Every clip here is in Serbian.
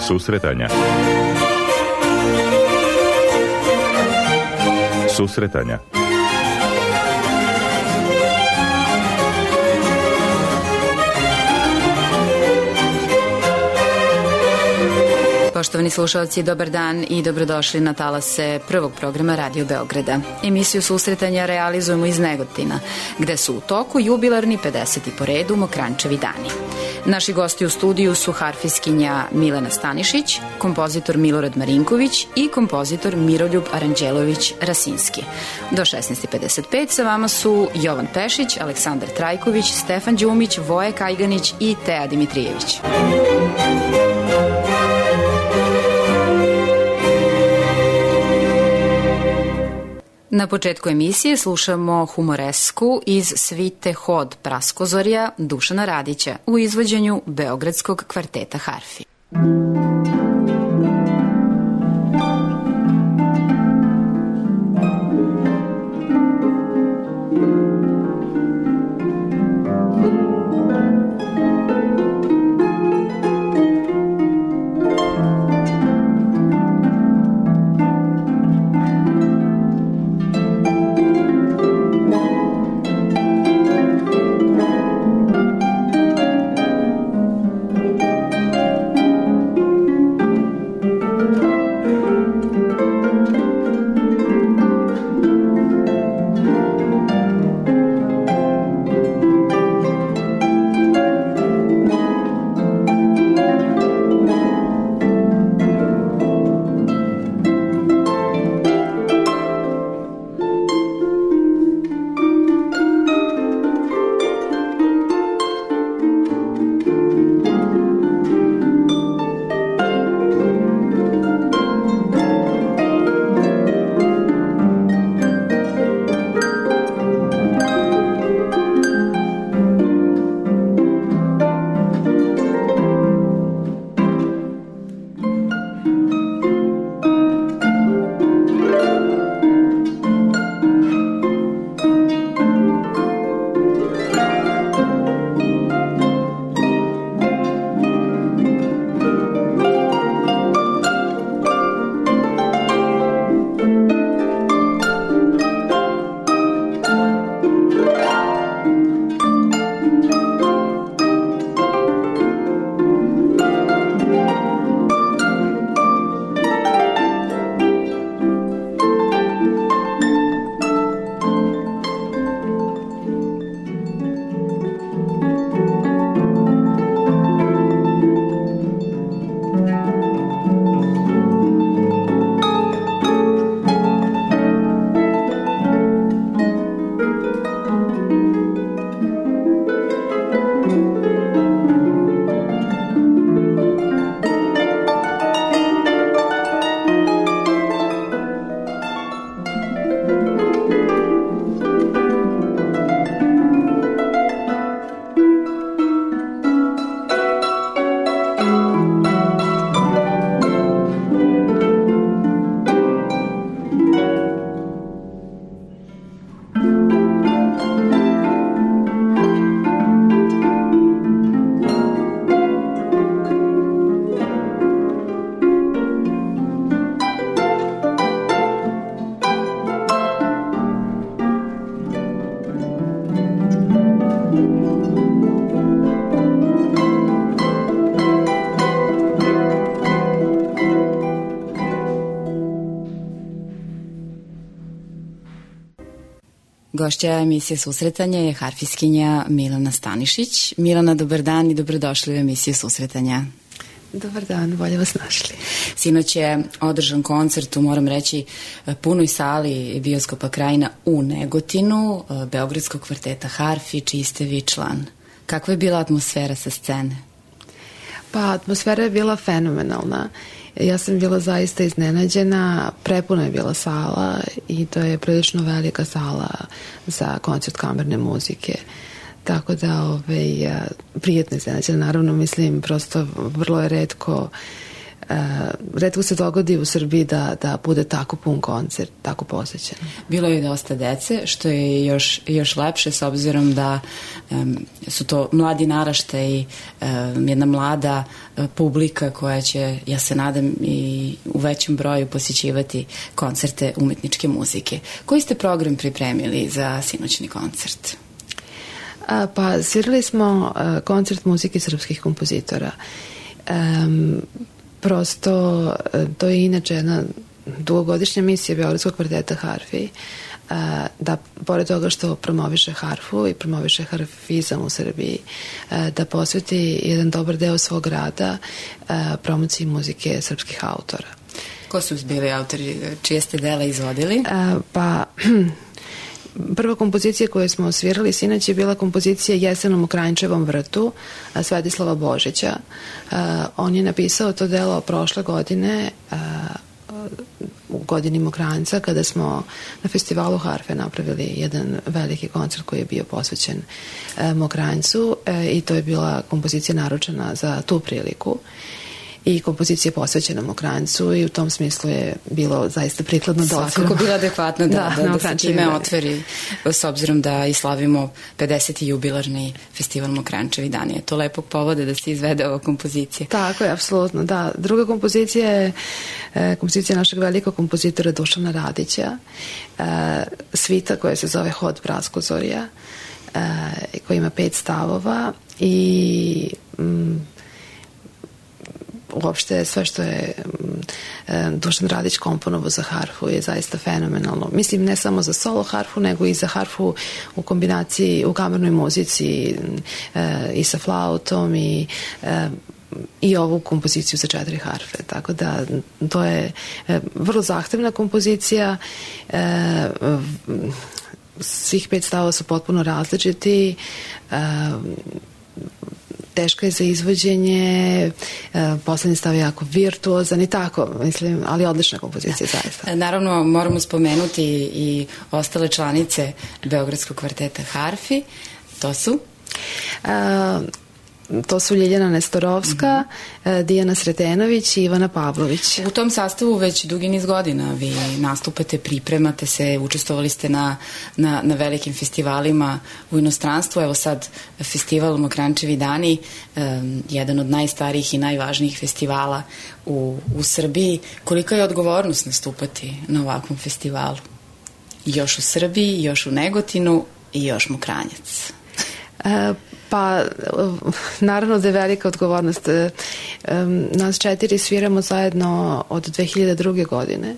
Susretanja. Susretanja. Poštovani slušalci, dobar dan i dobrodošli na talase prvog programa Radio Beograda. Emisiju Susretanja realizujemo iz Negotina, gde su u toku jubilarni 50. po redu Mokrančevi dani. Naši gosti u studiju su harfiskinja Milena Stanišić, kompozitor Milorad Marinković i kompozitor Miroljub Aranđelović-Rasinski. Do 16:55 sa vama su Jovan Pešić, Aleksandar Trajković, Stefan Đumić, Voje Kajganić i Teja Dimitrijević. Na početku emisije slušamo humoresku iz svite Hod Praskozorja Dušana Radića u izvođenju Beogradskog kvarteta harfi. Gošća emisije Susretanja je harfiskinja Milena Stanišić. Milena, dobar dan i dobrodošli u emisiju Susretanja. Dobar dan, bolje vas našli. Sinoć je održan koncert u, moram reći, punoj sali bioskopa Krajina u Negotinu, Beogradskog kvarteta harfi, čiji ste vi član. Kakva je bila atmosfera sa scene? Pa, atmosfera je bila fenomenalna. Ja sam bila zaista iznenađena, prepuna je bila sala i to je prilično velika sala za koncert kamerne muzike. Tako da, prijetno iznenađena. Naravno, mislim, prosto vrlo je retko retko se dogodi u Srbiji da bude tako pun koncert, tako posećen. Bilo je dosta dece, što je još lepše s obzirom da su to mladi naraštaji, jedna mlada publika koja će, ja se nadam, i u većem broju posjećivati koncerte umetničke muzike. Koji ste program pripremili za sinoćni koncert? Pa svirali smo koncert muzike srpskih kompozitora. Prosto to je inače jedna dugogodišnja misija Beogradskog kvarteta harfi, da pored toga što promoviše harfu i promoviše harfizam u Srbiji, da posveti jedan dobar deo svog rada promociji muzike srpskih autora. Ko su bili autori, čije ste dela izvodili? Prva kompozicija koju smo osvirali sinoć je bila kompozicija Jesenom u Kranjčevom vrtu Svetislava Božića. On je napisao to delo prošle godine u godini Mokranjca, kada smo na festivalu harfe napravili jedan veliki koncert koji je bio posvećen Mokranjcu, i to je bila kompozicija naručena za tu priliku i kompozicija posvećena Mokranjcu, i u tom smislu je bilo zaista prikladno da svakako bila adekvatno da se time otvori, s obzirom da i slavimo 50. jubilarni festival Mokranjčevi dani. Je to lepog povoda da se izvede ova kompozicija? Tako je, apsolutno, da. Druga kompozicija je kompozicija našeg velikog kompozitora Dušana Radića, svita koja se zove Hod Praskozorja, koja ima 5 stavova i uopšte sve što je Dušan Radić komponovao za harfu je zaista fenomenalno. Mislim, ne samo za solo harfu, nego i za harfu u kombinaciji, u kamernoj muzici i sa flautom i ovu kompoziciju za 4 harfe. Tako da to je vrlo zahtevna kompozicija. Svih 5 stavova su potpuno različiti, teška je za izvođenje, poslednji stav je jako virtuozan i tako, mislim, ali odlična kompozicija zaista. Naravno, moramo spomenuti i ostale članice Beogradskog kvarteta harfi. To su? To su Ljiljana Nestorovska, Dijana Sretenović i Ivana Pavlović. U tom sastavu već dugi niz godina vi nastupate, pripremate se, učestvovali ste na velikim festivalima u inostranstvu. Evo sad festival Mokranjčevi dani, jedan od najstarijih i najvažnijih festivala u Srbiji. Kolika je odgovornost nastupati na ovakvom festivalu? Još u Srbiji, još u Negotinu i još Mokranjac. Pa, naravno da je velika odgovornost. Nas 4 sviramo zajedno od 2002. godine,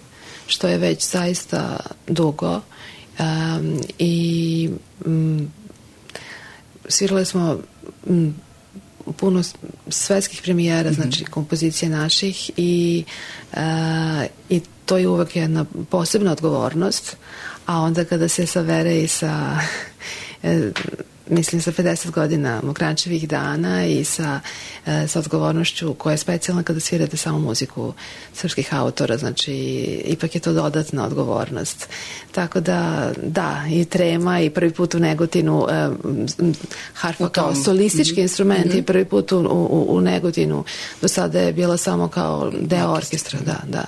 što je već zaista dugo. I svirali smo puno svetskih premijera, znači kompozicije naših, i to je uvek jedna posebna odgovornost, a onda kada se savere i sa mislim sa 50 godina Mokranjčevih dana i sa odgovornošću koja je specijalna kada svirate samo muziku srpskih autora, znači ipak je to dodatna odgovornost. Tako da, i trema, i prvi put u Negotinu, harfa kao solistički instrument i prvi put u Negotinu. Do sada je bila samo kao deo orkestra, da.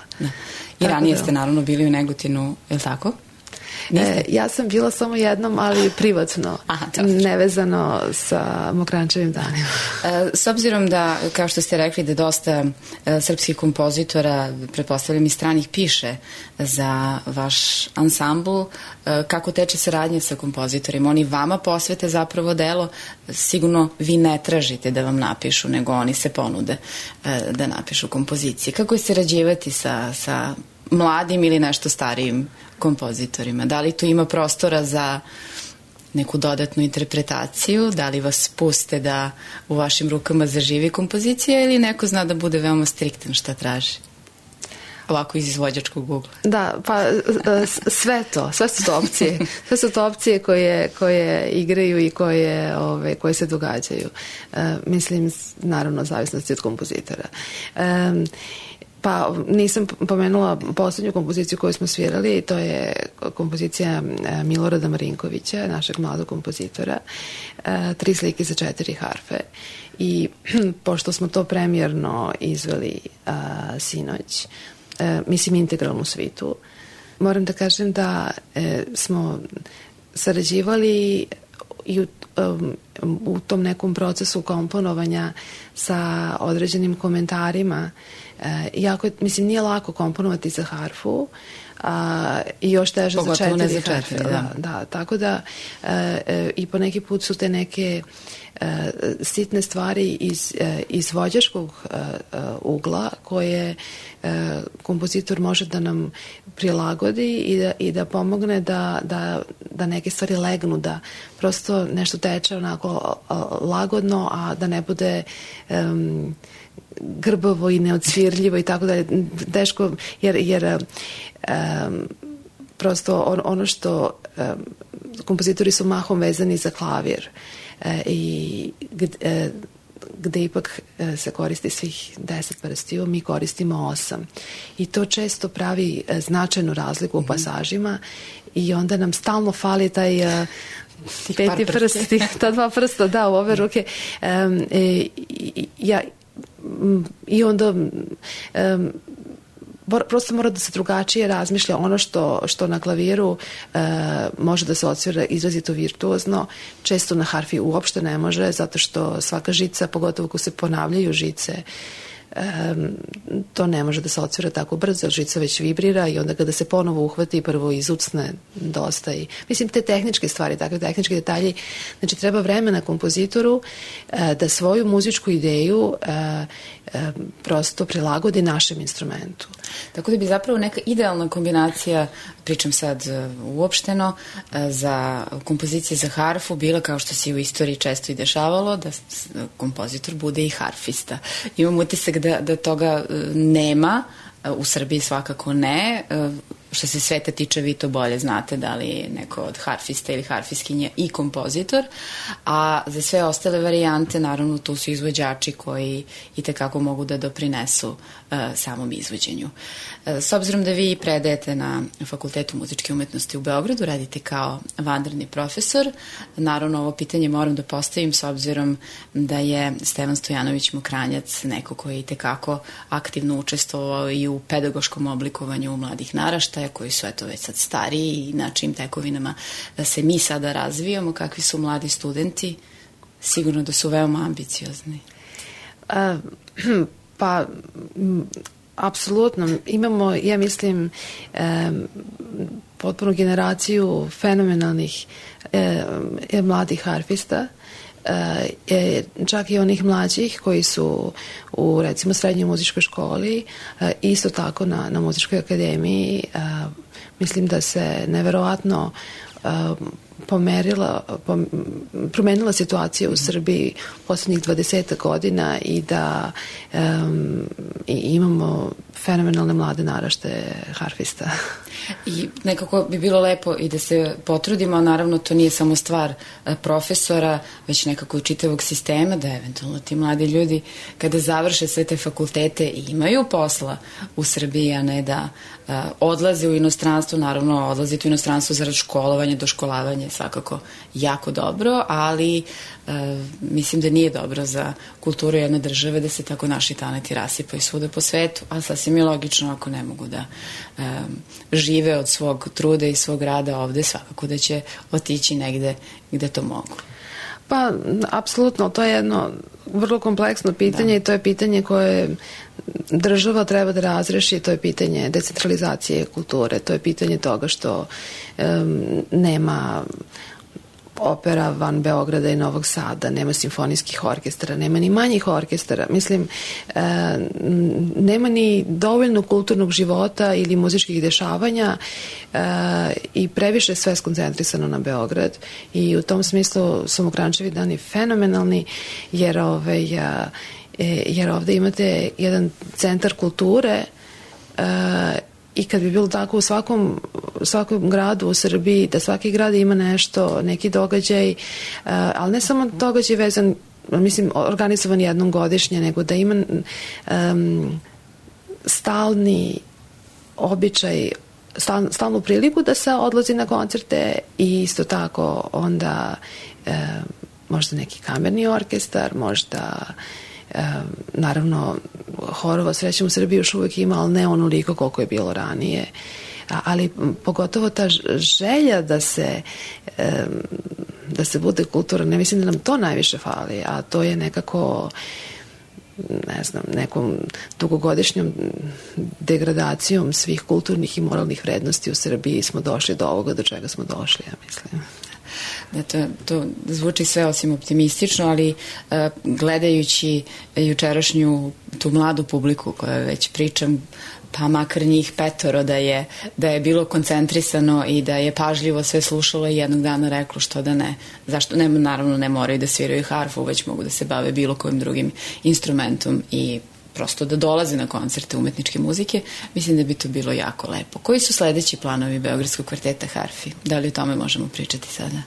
I ranije ste naravno bili u Negotinu, je li tako? Ja sam bila samo jednom, ali privatno, nevezano sa Mokranjčevim danima. S obzirom da, kao što ste rekli, da dosta srpskih kompozitora, pretpostavljam i stranih, piše za vaš ansambl, kako teče saradnja sa kompozitorima? Oni vama posvete zapravo delo, sigurno vi ne tražite da vam napišu, nego oni se ponude da napišu kompozicije. Kako je sarađivati sa mladim ili nešto starijim kompozitorima? Da li tu ima prostora za neku dodatnu interpretaciju? Da li vas puste da u vašim rukama zaživi kompozicija ili neko zna da bude veoma striktan šta traži? Ovako iz izvođačkog ugla. Da, pa sve su to opcije. Sve su to opcije koje igraju i koje se događaju. Mislim, naravno, zavisnosti od kompozitora. Pa nisam pomenula poslednju kompoziciju koju smo svirali, to je kompozicija Milorada Marinkovića, našeg mladog kompozitora, 3 slike za 4 harfe. I pošto smo to premijerno izveli sinoć, mislim integralnu svitu, moram da kažem da smo sarađivali i u tom nekom procesu komponovanja sa određenim komentarima. Jako, mislim, nije lako komponovati za harfu, i još teže za 4 harfe. Da, tako da i po neki put su te neke sitne stvari iz izvođačkog ugla koje kompozitor može da nam prilagodi i da pomogne da neke stvari legnu, da prosto nešto teče onako lagodno, a da ne bude grbavo i neodsvirljivo i tako da je teško, jer prosto ono što kompozitori su mahom vezani za klavir i gde ipak se koristi svih 10 prstiju, mi koristimo 8. I to često pravi značajnu razliku u pasažima i onda nam stalno fali taj peti prst, ta 2 prsta, da, u ove ruke. I onda prosto mora da se drugačije razmišlja. Ono što na klaviru može da se odsvira izrazito virtuozno, često na harfi uopšte ne može, zato što svaka žica, pogotovo ako se ponavljaju žice, to ne može da se odsvira tako brzo, žica već vibrira i onda kada se ponovo uhvati, prvo izucne dosta i, mislim, te tehničke stvari, takve tehničke detalji, znači treba vremena kompozitoru da svoju muzičku ideju prosto prilagodi našem instrumentu. Tako da bi zapravo neka idealna kombinacija, pričam sad uopšteno, za kompozicije za harfu bila, kao što se u istoriji često i dešavalo, da kompozitor bude i harfista. Imam utisak da toga nema, u Srbiji svakako ne. Što se sveta tiče, vi to bolje znate, da li je neko od harfista ili harfiskinja i kompozitor, a za sve ostale varijante naravno tu su izvođači koji i tekako mogu da doprinesu samom izvođenju. S obzirom da vi predajete na Fakultetu muzičke umetnosti u Beogradu, radite kao vanredni profesor, naravno ovo pitanje moram da postavim s obzirom da je Stevan Stojanović Mokranjac neko koji je i tekako aktivno učestvovao i u pedagoškom oblikovanju mladih naraštaja, koji su eto već sad stariji i na čim tekovinama da se mi sada razvijamo, kakvi su mladi studenti, sigurno da su veoma ambiciozni. Pa, apsolutno. Imamo, ja mislim, potpuno generaciju fenomenalnih mladih harfista, čak i onih mlađih koji su u, recimo, srednjoj muzičkoj školi, isto tako na muzičkoj akademiji. Mislim da se neverovatno promenila situacija u Srbiji poslednjih 20 godina i da imamo fenomenalne mlade naraštaje harfista. I nekako bi bilo lepo i da se potrudimo, naravno to nije samo stvar profesora, već nekako i čitavog sistema, da eventualno ti mladi ljudi kada završe sve te fakultete i imaju posla u Srbiji, a ne da odlaze u inostranstvo. Naravno, odlaziti u inostranstvo zarad školovanja, doškolavanja je svakako jako dobro, ali mislim da nije dobro za kulturu jedne države da se tako naši talenti rasipaju svuda po svetu, a sasvim je logično ako ne mogu da žive od svog truda i svog rada ovde, svakako da će otići negde gde to mogu. Pa, apsolutno, to je jedno vrlo kompleksno pitanje i to je pitanje koje država treba da razreši, to je pitanje decentralizacije kulture, to je pitanje toga što nema opera van Beograda i Novog Sada, nema simfonijskih orkestara, nema ni manjih orkestara. Mislim, nema ni dovoljno kulturnog života ili muzičkih dešavanja i previše sve skoncentrisano na Beograd i u tom smislu su Mokrančevi dani fenomenalni jer ovde imate jedan centar kulture i kad bi bilo tako u svakom gradu u Srbiji, da svaki grad ima nešto, neki događaj, ali ne samo događaj vezan, mislim, organizovan jednom godišnje, nego da ima stalni običaj, stalnu priliku da se odlazi na koncerte i isto tako onda možda neki kamerni orkestar, možda naravno horova srećom u Srbiji još uvijek ima, ali ne onoliko koliko je bilo ranije. Ali pogotovo ta želja da se bude kultura, ne mislim da nam to najviše fali, a to je nekako, ne znam, nekom dugogodišnjom degradacijom svih kulturnih i moralnih vrednosti u Srbiji smo došli do ovoga do čega smo došli, ja mislim. Da, to zvuči sve osim optimistično, ali gledajući jučerašnju tu mladu publiku koja već pričam, pa makar njih 5 da je bilo koncentrisano i da je pažljivo sve slušalo i jednog dana reklo što da ne. Zašto? Naravno ne moraju da sviraju harfu, već mogu da se bave bilo kojim drugim instrumentom i prosto da dolaze na koncerte umetničke muzike. Mislim da bi to bilo jako lepo. Koji su sledeći planovi Beogradskog kvarteta harfi? Da li o tome možemo pričati sada?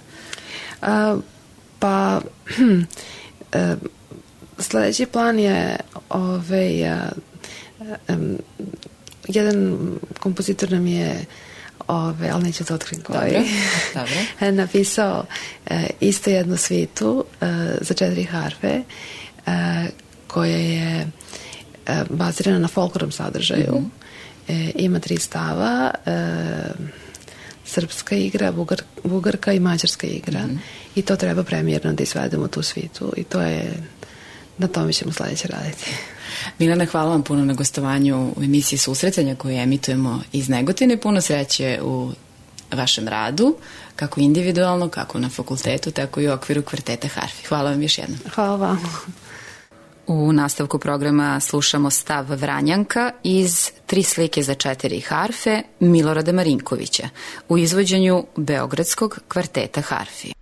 Sledeći plan je jedan kompozitor nam je ali neću da otkrim koji napisao isto jednu svitu za 4 harfe koja je bazirana na folklornom sadržaju. Ima 3 stava, srpska igra, bugarka i mađarska igra i to treba premijerno da izvedemo tu svitu i to je, na tome ćemo sledeće raditi. Milana, hvala vam puno na gostovanju u emisiji Susretanja koju emitujemo iz Negotine. Puno sreće u vašem radu, kako individualno, kako na fakultetu, tako i u okviru kvarteta harfi. Hvala vam još jednom. Hvala vam. U nastavku programa slušamo stav Vranjanka iz 3 slike za 4 harfe Milorada Marinkovića u izvođenju Beogradskog kvarteta harfi.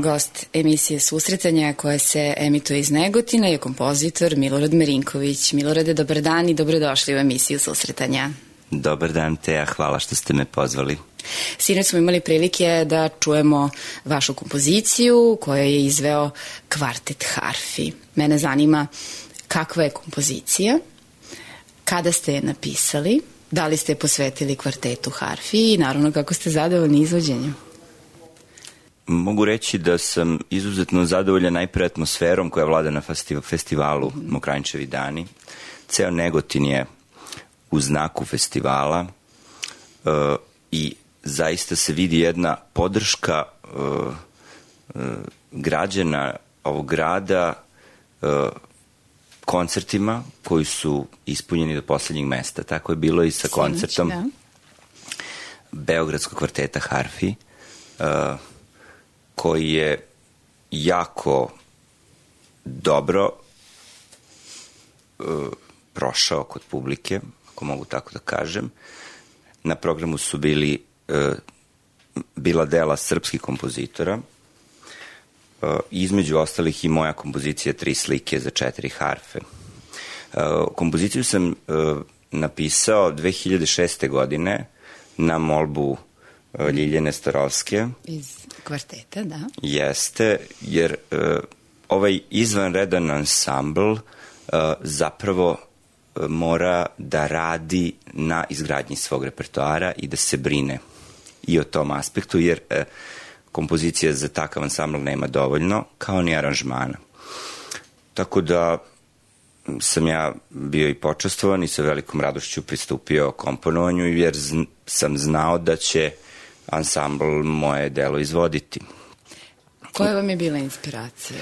Gost emisije Susretanja koja se emituje iz Negotina je kompozitor Milorad Merinković. Milorade, dobar dan i dobrodošli u emisiju Susretanja. Dobar dan, Teja, hvala što ste me pozvali. Sinoć smo imali prilike da čujemo vašu kompoziciju koju je izveo Kvartet harfi. Mene zanima kakva je kompozicija, kada ste je napisali, da li ste je posvetili kvartetu harfi i naravno kako ste zadovoljni izvođenjem. Mogu reći da sam izuzetno zadovoljan najpre atmosferom koja vlada na festivalu Mokranjčevi dani. Ceo Negotin je u znaku festivala i zaista se vidi jedna podrška građana ovog grada koncertima koji su ispunjeni do poslednjeg mesta. Tako je bilo i sa koncertom Beogradskog kvarteta harfi, koji je jako dobro prošao kod publike, ako mogu tako da kažem. Na programu su bila dela srpskih kompozitora, između ostalih i moja kompozicija 3 slike za 4 harfe. Kompoziciju sam napisao 2006. godine na molbu Ljiljane Starovske. Iz kvarteta, da. Jeste, jer ovaj izvanredan ansambl zapravo mora da radi na izgradnji svog repertoara i da se brine i o tom aspektu, jer kompozicija za takav ansambl nema dovoljno, kao ni aranžmana. Tako da sam ja bio i počastvovan i sa velikom radošću pristupio komponovanju, jer sam znao da će ansambl moje delo izvoditi. Koja vam je bila inspiracija?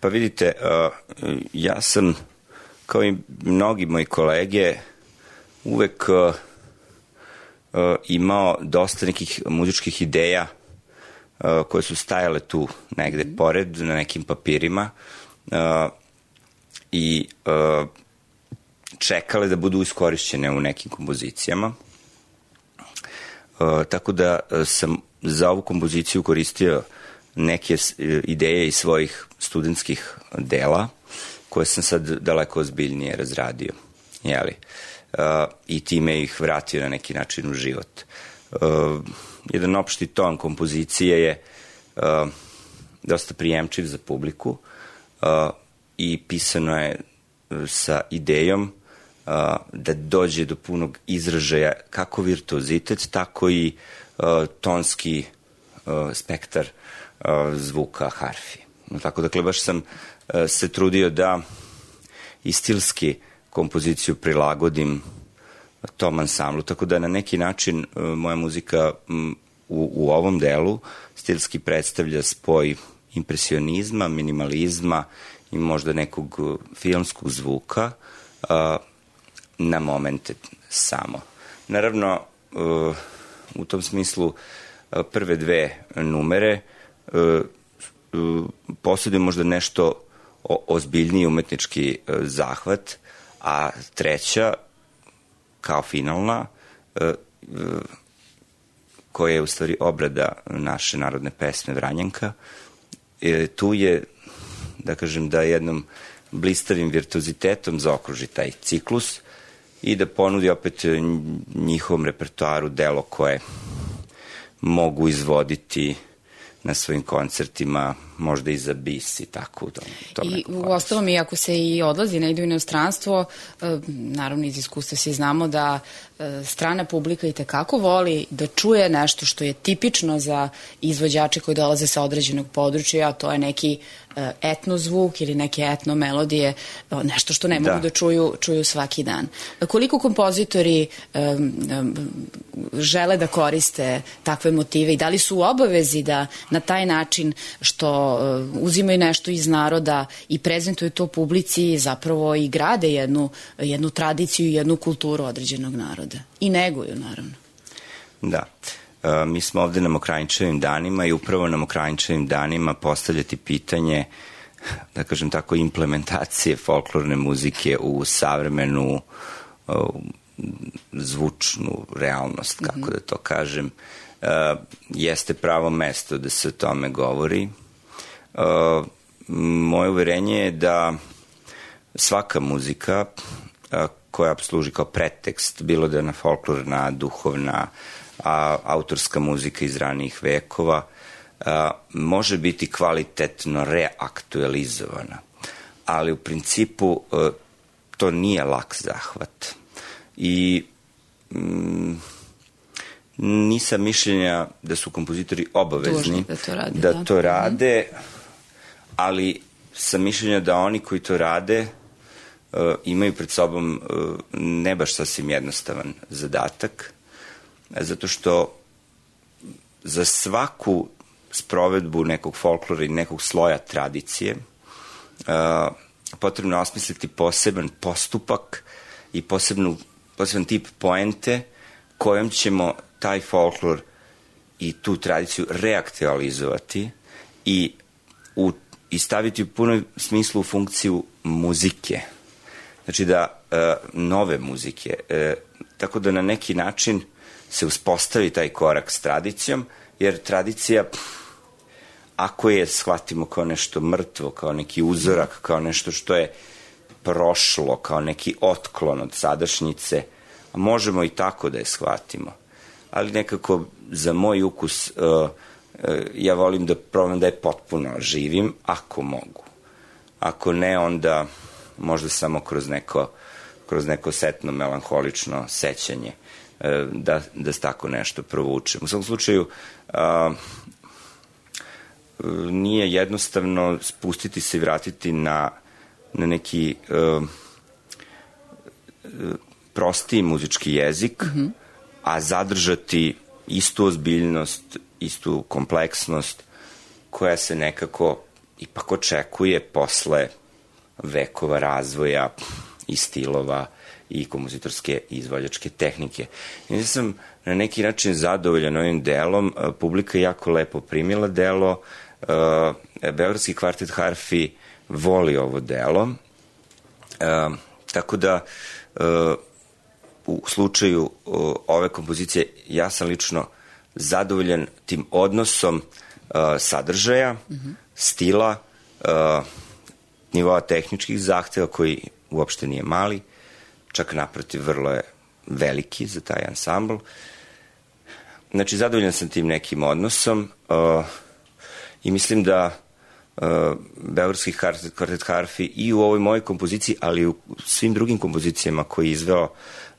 Pa vidite, ja sam, kao i mnogi moji kolege, uvek imao dosta nekih muzičkih ideja koje su stajale tu negde pored, na nekim papirima i čekale da budu iskorišćene u nekim kompozicijama. Tako da sam za ovu kompoziciju koristio neke ideje iz svojih studentskih dela, koje sam sad daleko ozbiljnije razradio, jeli? I time ih vratio na neki način u život. Jedan opšti ton kompozicije je dosta prijemčiv za publiku i pisano je sa idejom da dođe do punog izražaja kako virtuozitet, tako i tonski spektar zvuka harfi. Tako dakle, baš sam se trudio da i stilski kompoziciju prilagodim tom ansamblu, tako da na neki način moja muzika u ovom delu stilski predstavlja spoj impresionizma, minimalizma i možda nekog filmskog zvuka na momente samo. Naravno, u tom smislu prve 2 numere posjeduju možda nešto ozbiljniji umetnički zahvat, a 3, kao finalna, koja je u stvari obrada naše narodne pesme Vranjanka, tu je, da kažem, da jednom blistavim virtuozitetom zaokruži taj ciklus i da ponudi opet njihovom repertoaru delo koje mogu izvoditi na svojim koncertima, možda i za bis i tako u tom I u ostalom, i ako se i odlazi, ne ide u inostranstvo, naravno iz iskustva svi znamo da strana publika i tekako voli da čuje nešto što je tipično za izvođače koji dolaze sa određenog područja, a to je neki etno zvuk ili neke etno melodije, nešto što ne mogu da čuju svaki dan. Koliko kompozitori žele da koriste takve motive i da li su u obavezi da na taj način što uzimaju nešto iz naroda i prezentuju to publici, zapravo i grade jednu tradiciju i jednu kulturu određenog naroda. I neguju, naravno. Da. Mi smo ovde na Mokranjčevim danima i upravo na Mokranjčevim danima postavljati pitanje, da kažem tako, implementacije folklorne muzike u savremenu zvučnu realnost, kako da to kažem, jeste pravo mesto da se o tome govori. Moje uverenje je da svaka muzika koja služi kao pretekst, bilo da je na folklorna, duhovna, autorska muzika iz ranijih vekova, može biti kvalitetno reaktualizovana. Ali u principu to nije lak zahvat. I nisam mišljenja da su kompozitori obavezni da to rade, ali sam mišljenja da oni koji to rade imaju pred sobom ne baš sasvim jednostavan zadatak, zato što za svaku sprovedbu nekog folklora i nekog sloja tradicije potrebno je osmisliti poseban postupak i poseban tip poente kojom ćemo taj folklor i tu tradiciju reaktualizovati i staviti u punom smislu u funkciju muzike. Znači da nove muzike, tako da na neki način se uspostavi taj korak s tradicijom, jer tradicija, ako je shvatimo kao nešto mrtvo, kao neki uzorak, kao nešto što je prošlo, kao neki otklon od sadašnjice, možemo i tako da je shvatimo. Ali nekako za moj ukus ja volim da probam da je potpuno živim, ako mogu. Ako ne, onda možda samo kroz neko setno, melanholično sećanje da tako nešto provučem. U svakom slučaju, nije jednostavno spustiti se i vratiti na neki prostiji muzički jezik, a zadržati istu ozbiljnost, istu kompleksnost koja se nekako ipak očekuje posle vekova razvoja i stilova i kompozitorske i izvođačke tehnike. Ja sam na neki način zadovoljan ovim delom, publika je jako lepo primila delo, Beogradski kvartet harfi voli ovo delo, tako da u slučaju ove kompozicije ja sam lično zadovoljan tim odnosom sadržaja, stila, nivoa tehničkih zahteva koji uopšte nije mali, čak naprotiv vrlo je veliki za taj ansambl. Znači, zadovoljan sam tim nekim odnosom i mislim da Beogradski kvartet harfi i u ovoj mojoj kompoziciji, ali i u svim drugim kompozicijama koje je izveo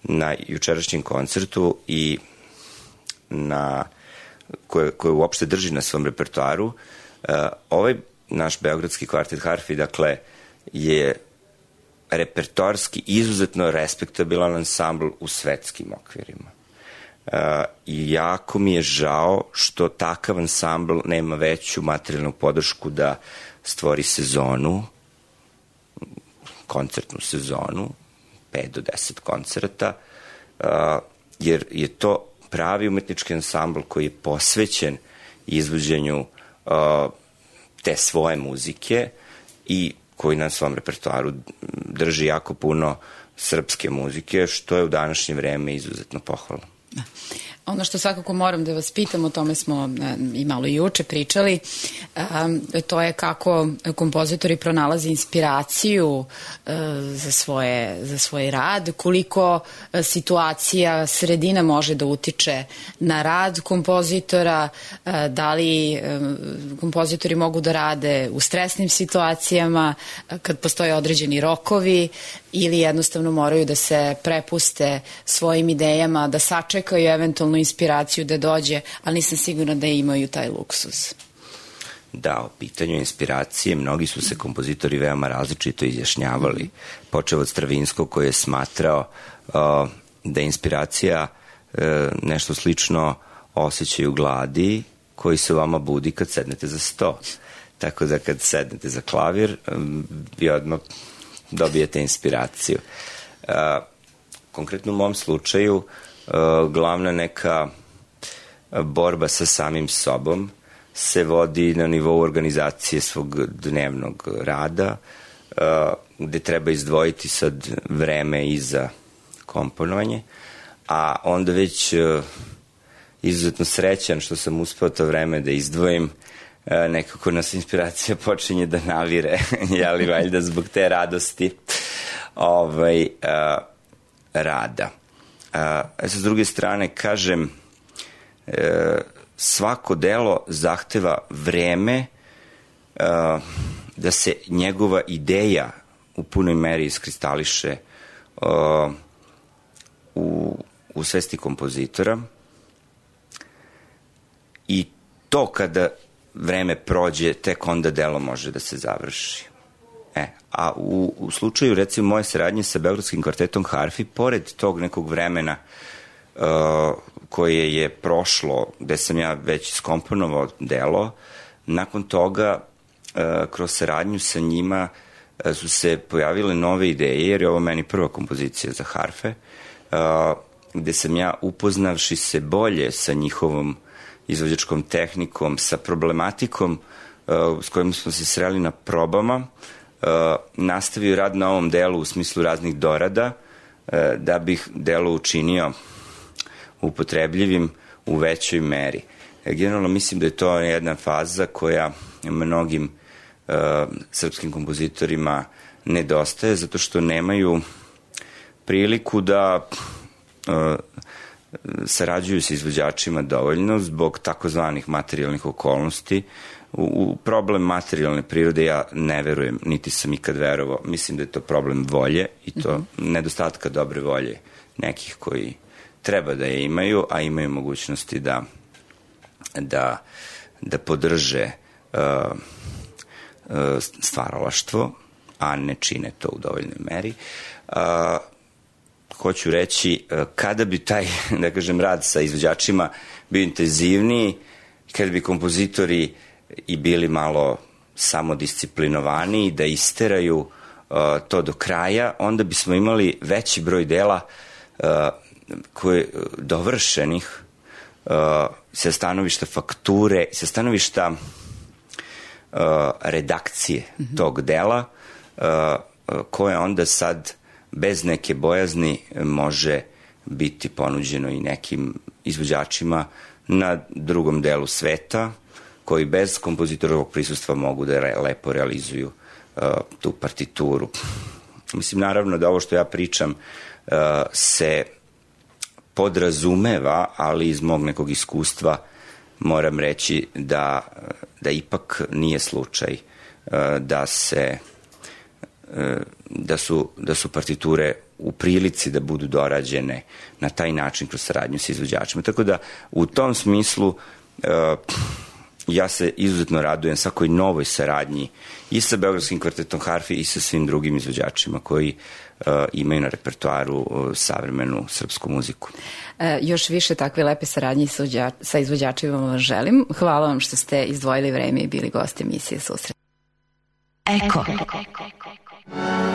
na jučerašnjem koncertu i koje uopšte drži na svom repertoaru, ovaj naš Beogradski kvartet harfi, dakle, je repertoarski izuzetno respektabilan ansambl u svetskim okvirima. I jako mi je žao što takav ansambl nema veću materijalnu podršku da stvori sezonu, koncertnu sezonu, 5 do 10 koncerta, jer je to pravi umetnički ansambl koji je posvećen izvođenju te svoje muzike i koji na svom repertoaru drži jako puno srpske muzike, što je u današnje vreme izuzetno pohvalno. Ono što svakako moram da vas pitam, o tome smo i malo i juče pričali, to je kako kompozitori pronalaze inspiraciju za svoj rad, koliko situacija, sredina može da utiče na rad kompozitora, da li kompozitori mogu da rade u stresnim situacijama, kad postoje određeni rokovi, ili jednostavno moraju da se prepuste svojim idejama, da sačekaju eventualnu inspiraciju da dođe, ali nisam sigurna da imaju taj luksuz. Da, o pitanju inspiracije mnogi su se kompozitori veoma različito izjašnjavali. Počeo od Stravinskog koji je smatrao da je inspiracija nešto slično osjećaju gladi koji se vama budi kad sednete za sto. Tako da kad sednete za klavir, vi odmah dobijete inspiraciju. Konkretno u mom slučaju, glavna neka borba sa samim sobom se vodi na nivou organizacije svog dnevnog rada, gde treba izdvojiti sad vreme i za komponovanje, a onda već izuzetno srećan što sam uspeo to vreme da izdvojim. Nekako nas inspiracija počinje da navire, jeli valjda zbog te radosti rada. S druge strane, kažem, svako delo zahteva vreme da se njegova ideja u punoj meri iskristališe u svesti kompozitora i to kada vreme prođe, tek onda delo može da se završi. A u slučaju, recimo, moje saradnje sa Beogradskim kvartetom harfi, pored tog nekog vremena koje je prošlo, gde sam ja već iskomponovao delo, nakon toga, kroz saradnju sa njima, su se pojavile nove ideje, jer je ovo meni prva kompozicija za harfe, gde sam ja, upoznavši se bolje sa njihovom izvođačkom tehnikom, sa problematikom s kojom smo se sreli na probama, nastavio rad na ovom delu u smislu raznih dorada, da bih delo učinio upotrebljivim u većoj meri. Generalno mislim da je to jedna faza koja mnogim srpskim kompozitorima nedostaje, zato što nemaju priliku da sarađuju sa izvođačima dovoljno zbog takozvanih materijalnih okolnosti. U problem materijalne prirode ja ne verujem, niti sam ikad verovao. Mislim da je to problem volje i to nedostatka dobre volje nekih koji treba da je imaju, a imaju mogućnosti da podrže stvaralaštvo, a ne čine to u dovoljnoj meri. Hoću reći, kada bi taj, da kažem, rad sa izvođačima bio intenzivniji, kada bi kompozitori i bili malo samodisciplinovaniji, da isteraju to do kraja, onda bismo imali veći broj dela dovršenih sa stanovišta fakture, sa stanovišta redakcije tog dela, koje onda sad bez neke bojazni može biti ponuđeno i nekim izvođačima na drugom delu sveta, koji bez kompozitorovog prisustva mogu da lepo realizuju tu partituru. Mislim, naravno da ovo što ja pričam se podrazumeva, ali iz mog nekog iskustva moram reći da ipak nije slučaj da su partiture u prilici da budu dorađene na taj način kroz saradnju sa izvođačima. Tako da u tom smislu ja se izuzetno radujem svakoj novoj saradnji i sa Beogradskim kvartetom harfi i sa svim drugim izvođačima koji imaju na repertoaru savremenu srpsku muziku. Još više takve lepe saradnje sa izvođačima vam želim. Hvala vam što ste izdvojili vreme i bili gosti emisije Susret. Eko.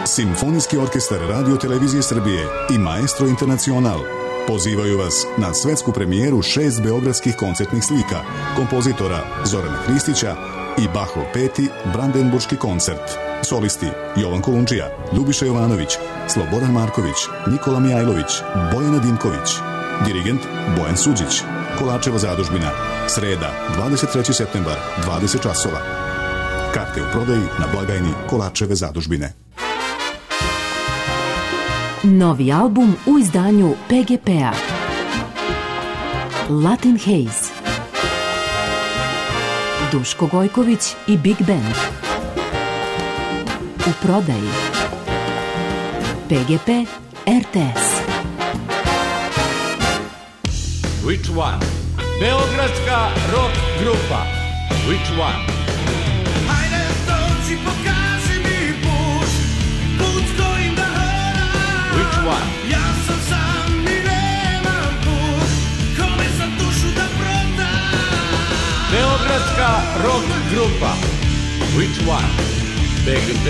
Simfonijski orkestar Radio Televizije Srbije i Maestro Internacional pozivaju vas na svetsku premijeru 6 beogradskih koncertnih slika kompozitora Zorana Hristića i Bachov 5. Brandenburški koncert. Solisti Jovan Kolundžija, Ljubiša Jovanović, Slobodan Marković, Nikola Mijajlović, Bojana Dimković. Dirigent Bojan Suđić. Kolačeva zadužbina. Sreda, 23. septembar, 20 časova. Karte u prodaji na blagajni Kolačeve zadužbine. Novi album u izdanju PGP-a. Latin Haze. Duško Gojković i Big Band. U prodaji PGP RTS. Which one? Beogradska rock grupa. Which one? Hajde dođi, pokaži mi put, put kojim da hodam. Which one? Ja sam sam i nemam put, kome sam dušu da prodam. Beogradska rock grupa. Which one? PGP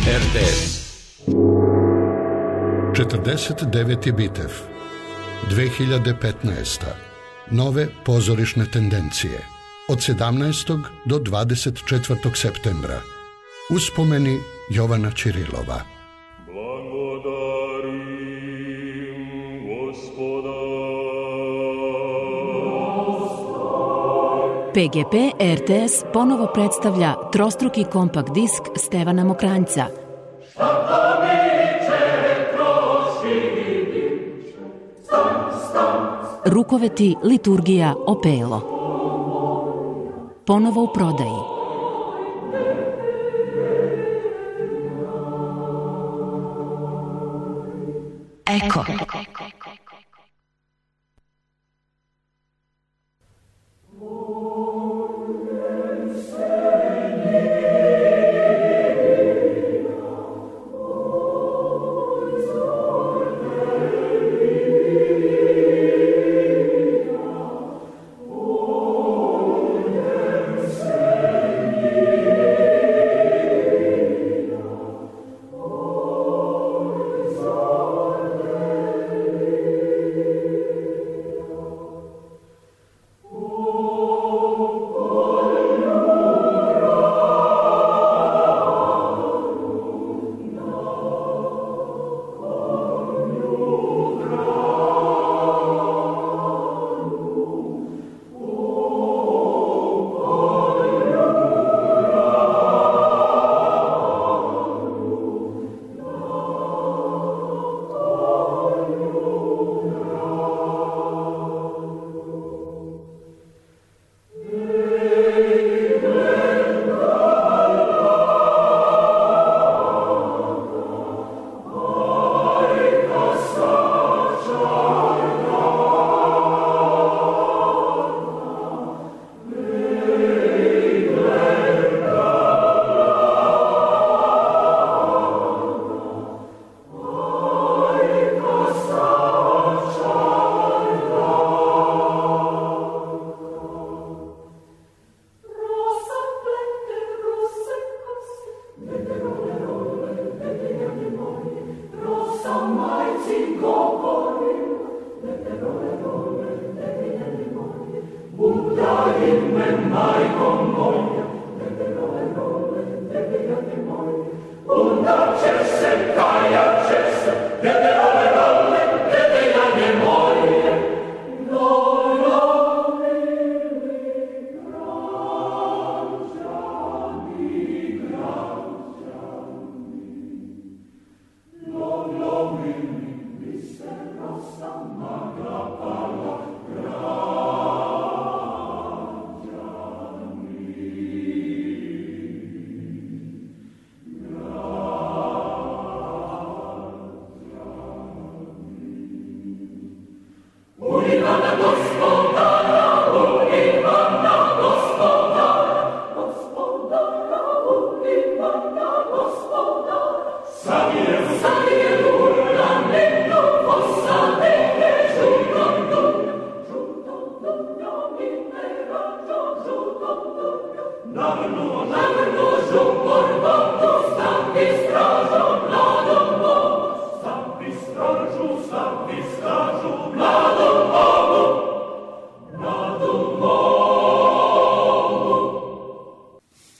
RTS. 49. Bitev 2015. Nove pozorišne tendencije od 17. do 24. septembra. Uspomeni Jovana Ćirilova. Blagodarim Gospoda. PGP RTS ponovo predstavlja trostruki kompakt disk Stevana Mokranjca. Rukoveti liturgija Opelo. Ponovo u prodaji. Eko.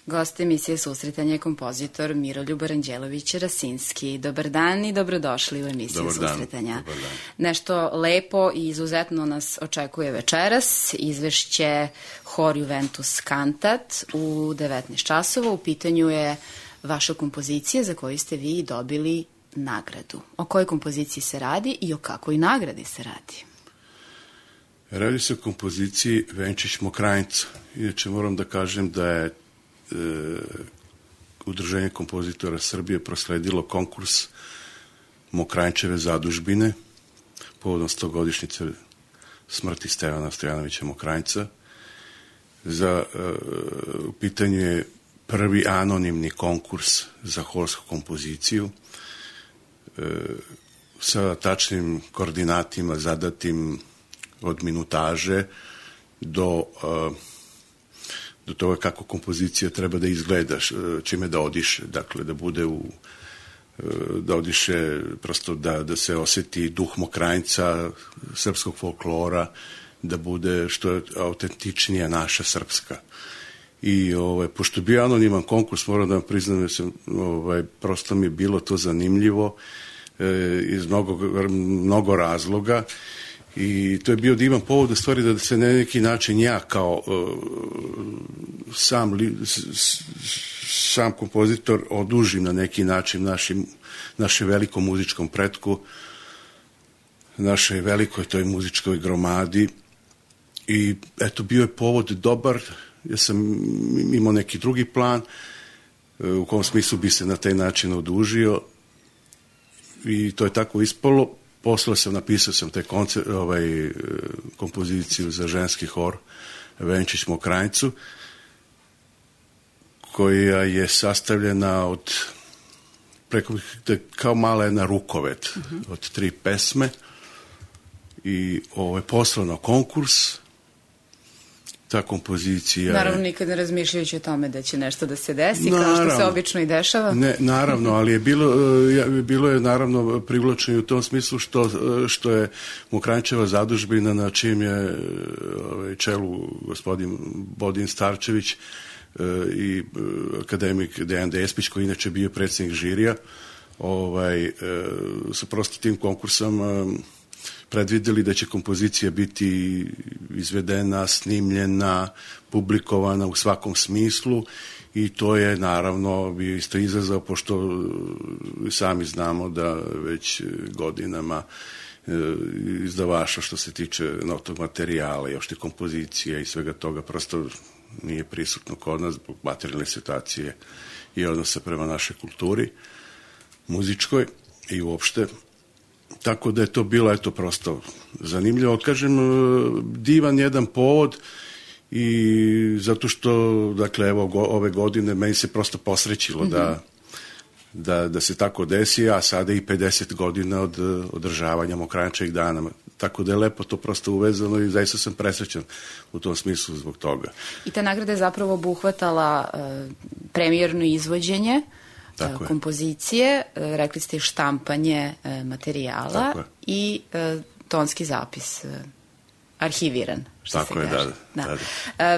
Gost emisije Susretanje je kompozitor Miroljub Aranđelović-Rasinski. Dobar dan i dobrodošli u emisiju Susretanja. Dobar dan. Nešto lepo i izuzetno nas očekuje večeras. Izvešće Hor Juventus Cantat u 19 časova. U pitanju je vaša kompozicija za koju ste vi dobili nagradu. O kojoj kompoziciji se radi i o kakvoj nagradi se radi? Radi se o kompoziciji Venčić Mokranjca. Inače moram da kažem da je Udruženje kompozitora Srbije prosledilo konkurs Mokranjčeve zadužbine povodom 100-godišnjice smrti Stevana Stojanovića Mokranjca. U pitanju je prvi anonimni konkurs za horsku kompoziciju sa tačnim koordinatima zadatim od minutaže do toga kako kompozicija treba da izgleda, čime da odiše, dakle da bude da odiše, prosto da se oseti duh Mokranjca, srpskog folklora, da bude što je autentičnija naša srpska. I pošto je bio anoniman konkurs, moram da vam priznam da sam, prosto mi je bilo to zanimljivo iz mnogo razloga I to je bio divan povod u stvari da se na neki način ja kao sam kompozitor odužim na neki način našem velikom muzičkom pretku, našoj velikoj toj muzičkoj gromadi. I eto, bio je povod dobar, ja sam imao neki drugi plan u kom smislu bi se na taj način odužio i to je tako ispalo. Napisao sam te kompoziciju za ženski hor Venčić Mokranjcu, koja je sastavljena od kao mala jedna rukovet od 3 pesme i poslao na konkurs. Ta kompozicija naravno nikad ne razmišljajući o tome da će nešto da se desi, kao što se obično i dešava. Ne, naravno, ali je bilo je naravno privlačno i u tom smislu što je Mokranjčeva zadužbina, na čijem je čelu gospodin Bodin Starčević i akademik Dejan Despić, koji inače bio predsjednik žirija, su prosto tim konkursom predvideli da će kompozicija biti izvedena, snimljena, publikovana u svakom smislu i to je naravno bio isto izazov, pošto sami znamo da već godinama izdavača što se tiče notog materijala i opšte kompozicije i svega toga prosto nije prisutno kod nas zbog materijalne situacije i odnosa prema našoj kulturi muzičkoj i uopšte. Tako da je to bilo prosto zanimljivo. Kažem, divan jedan povod i zato što, dakle, evo ove godine meni se prosto posrećilo da se tako desi, a sada i 50 godina od održavanja Mokranjčevih dana. Tako da je lepo to prosto uvezano i zaista sam presrećan u tom smislu zbog toga. I ta nagrada je zapravo obuhvatala premijerno izvođenje kompozicije, rekli ste štampanje materijala i tonski zapis arhiviran, što tako se kaže. Da.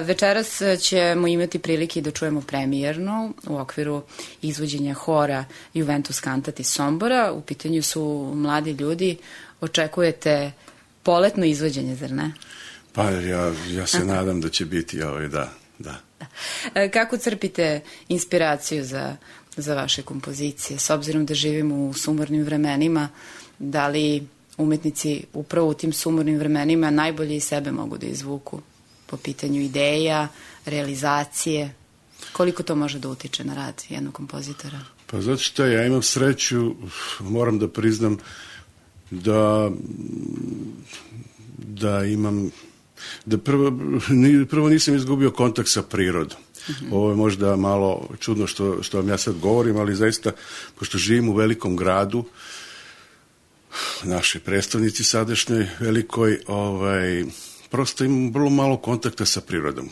Večeras ćemo imati prilike da čujemo premijerno u okviru izvođenja hora Juventus Cantat iz Sombora. U pitanju su mladi ljudi. Očekujete poletno izvođenje, zar ne? Pa ja se nadam da će biti da. Kako crpite inspiraciju za vaše kompozicije? S obzirom da živimo u sumornim vremenima, da li umetnici upravo u tim sumornim vremenima najbolje iz sebe mogu da izvuku po pitanju ideja, realizacije? Koliko to može da utiče na rad jednog kompozitora? Pa zato što ja imam sreću, moram da priznam da imam, da prvo nisam izgubio kontakt sa prirodom. Ovo je možda malo čudno što vam ja sad govorim, ali zaista, pošto živim u velikom gradu, našoj predstavnici sadašnjoj velikoj, prosto imam vrlo malo kontakta sa prirodom.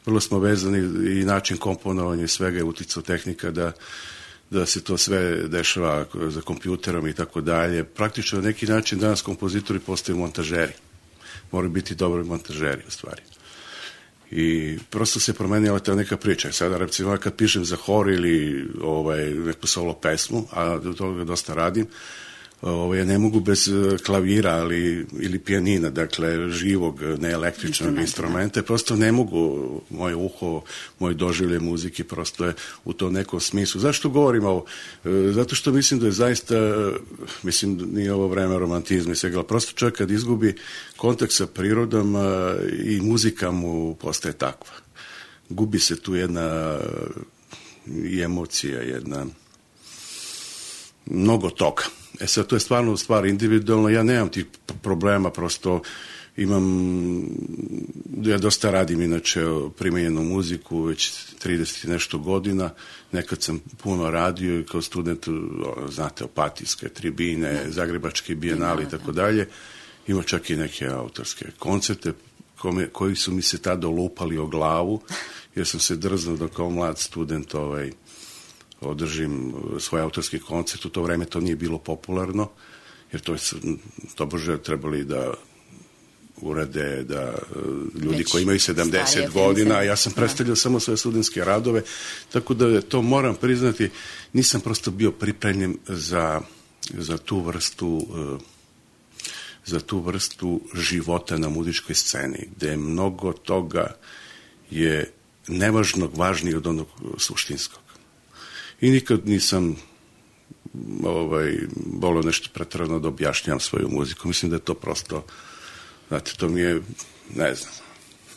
Vrlo smo vezani i način komponovanja i svega je uticao tehnika da se to sve dešava za kompjuterom i tako dalje. Praktično na neki način danas kompozitori postaju montažeri. Moraju biti dobri montažeri u stvari. I prosto se promenila ta neka priča. Sada, recimo, kad pišem za hor ili neku solo pesmu, a do toga dosta radim, ja ne mogu bez klavira ili pijanina, dakle živog, ne električnog instrumenta, prosto ne mogu, moje uho, moj doživlje muzike prosto je u tom nekom smislu. Zašto govorim ovo? Zato što mislim da je zaista, nije ovo vreme romantizma i svega, prosto čovjek kad izgubi kontakt sa prirodom i muzika mu postaje takva. Gubi se tu jedna i emocija, jedna mnogo toga. Sad, to je stvarno stvar individualno, ja nemam tih problema, prosto ja dosta radim inače primenjenu muziku, već 30 i nešto godina, nekad sam puno radio i kao student, znate, Opatijske tribine, Zagrebački bijenali i tako dalje, ima čak i neke autorske koncerte koji su mi se tada olupali o glavu, jer sam se drznuo da kao mlad student održim svoj autorski koncert. U to vreme to nije bilo popularno, jer to bože trebali da urade da ljudi koji imaju 70 godina, ja sam predstavljao samo svoje studentske radove, tako da to moram priznati, nisam prosto bio pripremljen za tu vrstu za tu vrstu života na muzičkoj sceni, gde mnogo toga je nevažnog važnije od onog suštinskog. I nikad nisam volio nešto preterano da objašnjam svoju muziku. Mislim da je to prosto, znate, to mi je, ne znam.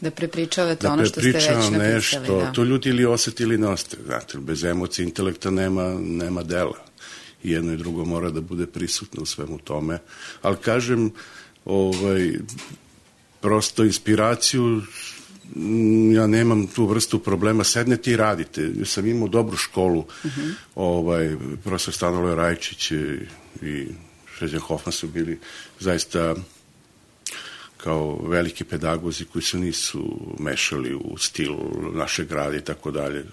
Da prepričavate ono što ste već napisali. Nešto, da. To ljudi ili osete ili ne osete. Znate, bez emocije, intelekta nema dela. I jedno i drugo mora da bude prisutno u svemu tome. Ali kažem, prosto inspiraciju, ja nemam tu vrstu problema, sednete i radite. Ja sam imao dobru školu, profesor Stanilo Rajčić i Šređan Hofman su bili zaista kao veliki pedagozi koji se nisu mešali u stil našeg grada i tako dalje.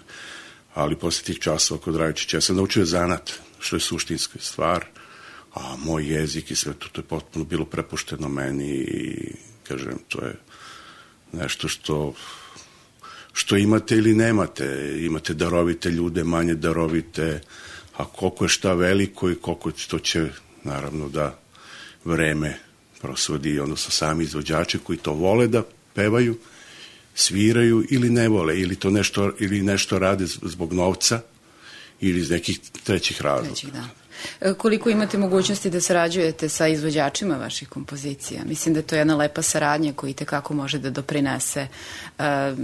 Ali posle tih časova kod Rajčića ja sam naučio zanat, što je suštinska stvar, a moj jezik i sve to je potpuno bilo prepušteno meni i kažem, to je nešto što imate ili nemate. Imate darovite ljude, manje darovite, a koliko je šta veliko i koliko to će, naravno, da vreme prosvodi, odnosno sami izvođači koji to vole da pevaju, sviraju ili ne vole, ili nešto rade zbog novca ili iz nekih trećih razloga. Koliko imate mogućnosti da sarađujete sa izvođačima vaših kompozicija? Mislim da je to jedna lepa saradnja koja itekako može da doprinese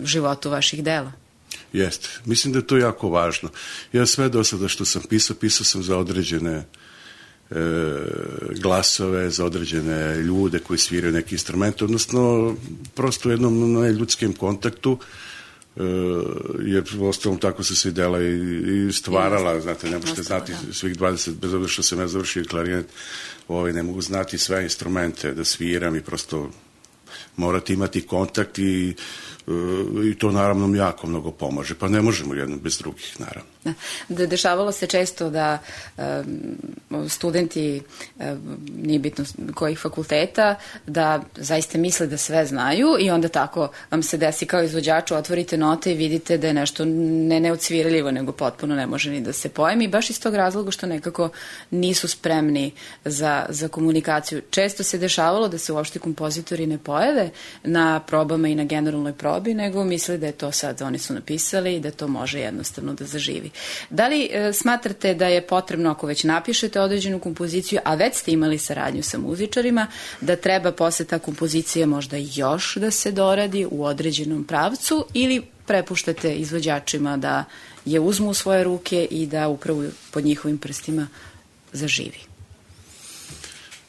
životu vaših dela. Jeste. Mislim da je to jako važno. Ja sve do sada što sam pisao sam za određene glasove, za određene ljude koji sviraju neki instrument, odnosno prosto u jednom ljudskim kontaktu, jer u ostalom tako se svi dela i stvarala, znate, ne možete znati svih 20, bez obzira što sam ja završio klarinet, ne mogu znati sve instrumente da sviram i prosto morate imati kontakt i to naravno jako mnogo pomaže, pa ne možemo jedno bez drugih, naravno. Dešavalo se često da studenti, nije bitno kojih fakulteta, da zaista misle da sve znaju i onda tako vam se desi kao izvođaču, otvorite note i vidite da je nešto ne neodsvirljivo, nego potpuno ne može ni da se pojmi, baš iz tog razloga što nekako nisu spremni za komunikaciju. Često se dešavalo da se uopšte kompozitori ne pojave na probama i na generalnoj probi, nego misle da je to sad, oni su napisali i da to može jednostavno da zaživi. Da li smatrate da je potrebno, ako već napišete određenu kompoziciju, a već ste imali saradnju sa muzičarima, da treba posle ta kompozicija možda još da se doradi u određenom pravcu ili prepuštate izvođačima da je uzmu u svoje ruke i da upravo pod njihovim prstima zaživi?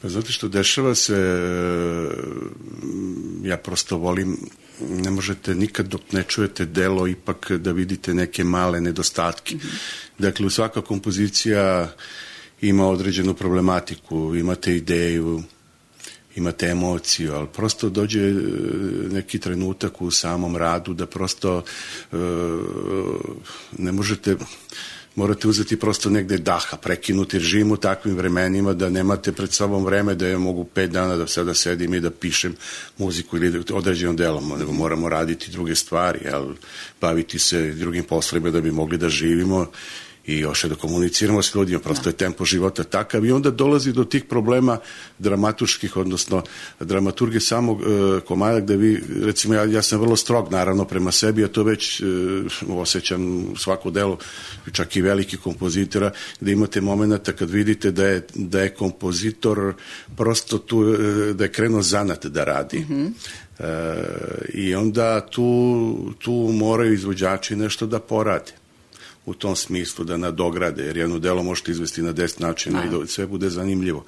Pa zato što dešava se, ja prosto volim, ne možete nikad dok ne čujete delo ipak da vidite neke male nedostatke. Dakle, svaka kompozicija ima određenu problematiku, imate ideju, imate emociju, ali prosto dođe neki trenutak u samom radu da prosto ne možete, morate uzeti prosto negde daha, prekinuti, jer živimo u takvim vremenima da nemate pred sobom vreme da ja mogu 5 dana da sada sedim i da pišem muziku ili određenom delom, nego moramo raditi druge stvari, baviti se drugim poslovima da bi mogli da živimo i još da komuniciramo s ljudima, prosto je tempo života takav i onda dolazi do tih problema dramaturških, odnosno dramaturge samog komada gde vi, recimo ja sam vrlo strog naravno prema sebi, a to već osjećam svako delo, čak i veliki kompozitora, gde imate momenta kad vidite da je kompozitor prosto tu, da je krenuo zanat da radi. I onda tu moraju izvođači nešto da porade u tom smislu, da nadograde, jer jedno delo možete izvesti na 10 načina i da sve bude zanimljivo.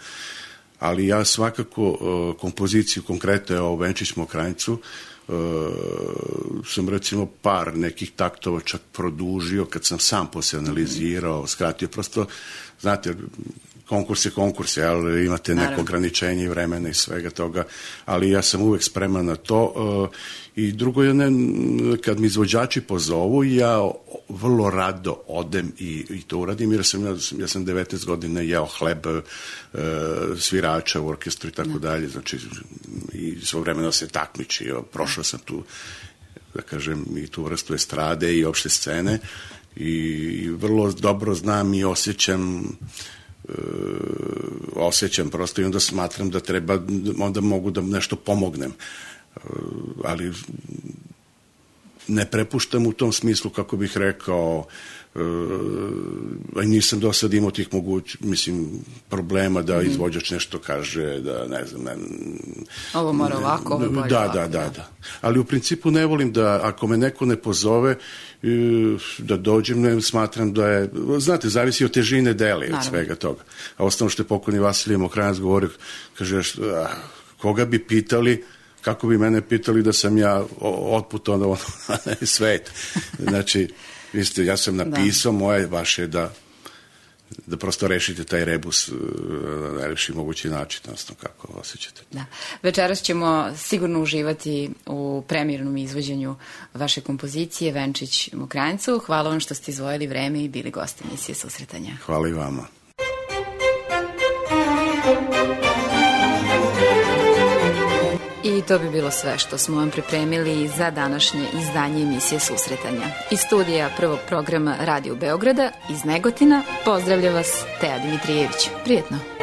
Ali ja svakako kompoziciju, konkretno o Venčić Mokranjcu, sam recimo par nekih taktova čak produžio kad sam sam posle analizirao, skratio, prosto, znate, konkurs je, ali imate neko ograničenje vremena i svega toga, ali ja sam uvek spreman na to. I drugo je, kad mi izvođači pozovu, ja vrlo rado odem i to uradim, jer ja sam 19 godina jeo hleb svirača u orkestru i tako dalje, znači i svo vremena se takmičio, prošao sam tu, da kažem, i tu vrstu estrade i opšte scene i vrlo dobro znam i osjećam osjećam prosto i onda smatram da treba, onda mogu da nešto pomognem. Ali ne prepuštam u tom smislu, kako bih rekao, nisam do sad imao tih problema da izvođač nešto kaže, da ne znam, ovo mora ovako, ovo bolje ovako. Da. Ali u principu ne volim da, ako me neko ne pozove, da dođem, ne smatram da je, znate, zavisi od težine dela i od svega toga. A osnovno što je pokojni Vasilije Mokranjac govorio, kaže, koga bi pitali, kako bi mene pitali da sam ja otputao na svet. Znači, ja sam napisao, moje vaše da prosto rešite taj rebus na najlepši mogući način, odnosno kako osjećate. Da. Večeras ćemo sigurno uživati u premijernom izvođenju vaše kompozicije Venčić Mokranjcu. Hvala vam što ste izdvojili vreme i bili gosti emisije Susretanja. Hvala i vama. I to bi bilo sve što smo vam pripremili za današnje izdanje emisije Susretanja. Iz studija prvog programa Radio Beograda iz Negotina pozdravlja vas Teja Dimitrijević. Prijetno!